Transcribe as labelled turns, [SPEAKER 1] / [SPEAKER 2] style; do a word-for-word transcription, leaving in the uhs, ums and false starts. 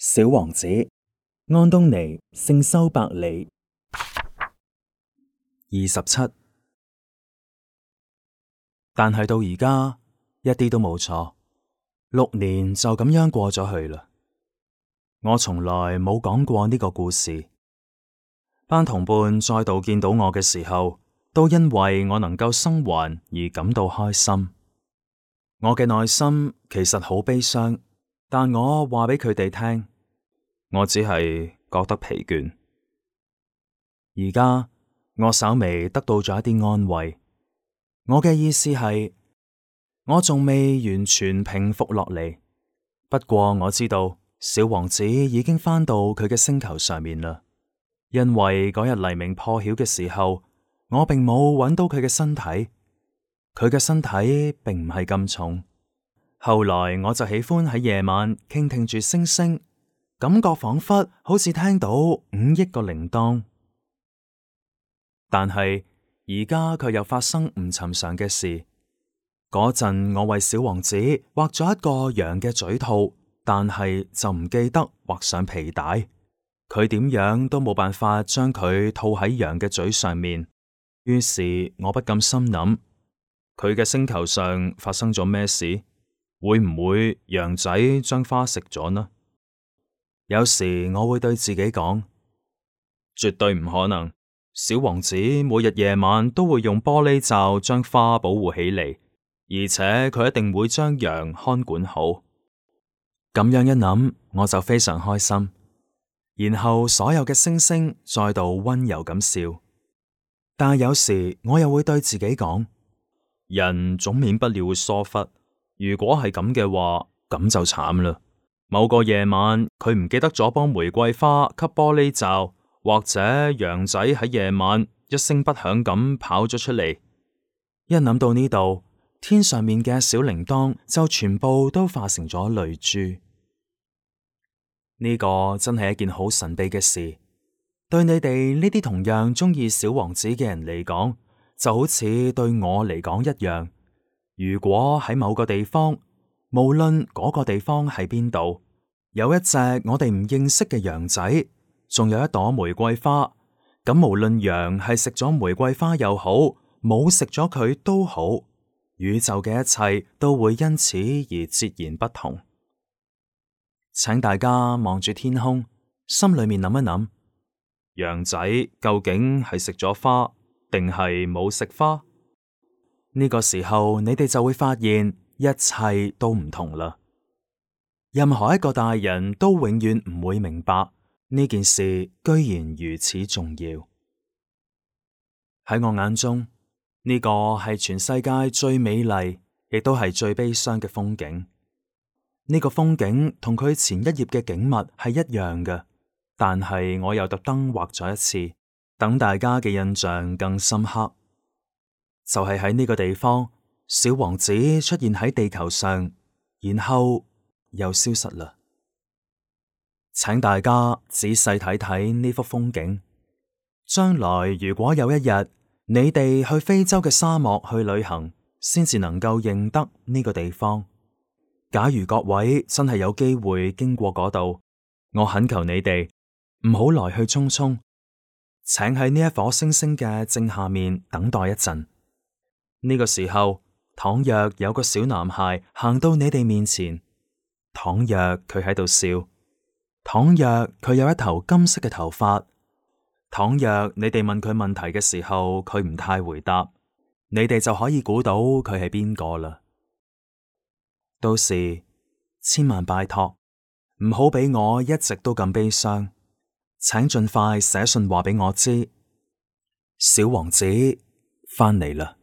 [SPEAKER 1] 小王子，安東尼聖修伯里。二十七，但係到而家一啲都冇錯，六年就咁樣過咗去啦。我從來冇講過呢個故事。班同伴再度見到我嘅時候，都因為我能夠生還而感到開心。我嘅內心其實好悲傷，但我話俾佢哋聽，我只係覺得疲倦。而家我稍微得到咗一啲安慰。我嘅意思係，我仲未完全平復落嚟。不過我知道小王子已經返到佢嘅星球上面啦。因為嗰日黎明破曉嘅時候，我並冇揾到佢嘅身體，佢嘅身體並唔係咁重。後來我就喜歡喺夜晚傾聽住星星，感覺仿佛好似聽到五億個鈴鐺。但係而家卻又發生唔尋常嘅事。嗰陣我為小王子畫咗一個羊嘅嘴套，但係就唔記得畫上皮帶。佢點樣都冇辦法將佢套喺羊嘅嘴上面。於是我不禁心諗，佢嘅星球上發生咗咩事？會唔會羊仔將花食咗呢？有時我會對自己講，絕對唔可能。小王子每日夜晚都會用玻璃罩將花保護起嚟，而且佢一定會將羊看管好。咁樣一諗，我就非常開心。然後所有嘅星星再度溫柔咁笑。但係有時我又會對自己講，人總免不了會疏忽。如果係咁嘅話，咁就慘啦。某個夜晚，佢唔記得咗幫玫瑰花吸玻璃罩，或者羊仔喺夜晚一聲不響咁跑咗出嚟。一諗到呢度，天上面嘅小鈴鐺就全部都化成咗淚珠。呢個真係一件好神秘嘅事。對你哋呢啲同樣中意小王子嘅人嚟講，就好似對我嚟講一樣。如果喺某個地方，無論嗰個地方喺邊度，有一隻我哋唔認識嘅羊仔，仲有一朵玫瑰花，咁無論羊係食咗玫瑰花又好，冇食咗佢都好，宇宙嘅一切都會因此而截然不同。請大家望住天空，心裏面諗一諗，羊仔究竟係食咗花，定係冇食花？呢個時候，你哋就會發現一切都唔同啦。任何一個大人都永遠唔會明白呢件事居然如此重要。喺我眼中，呢個係全世界最美麗，亦都係最悲傷嘅風景。呢個風景同佢前一頁嘅景物係一樣嘅，但係我又特登畫咗一次，等大家嘅印象更深刻。就係喺呢個地方，小王子出現喺地球上，然後又消失啦。請大家仔細睇睇呢幅風景。將來如果有一日你哋去非洲嘅沙漠去旅行，先至能夠認得呢個地方。假如各位真係有機會經過嗰度，我懇求你哋唔好來去匆匆，請喺呢一顆星星嘅正下面等待一陣。呢個時候，倘若有個小男孩行到你哋面前，倘若佢喺度笑，倘若佢有一頭金色嘅頭髮，倘若你哋問佢問題嘅時候，佢唔太回答，你哋就可以估到佢係邊個啦。到時千萬拜託，唔好俾我一直都咁悲傷，請盡快寫信話俾我知，小王子返嚟啦。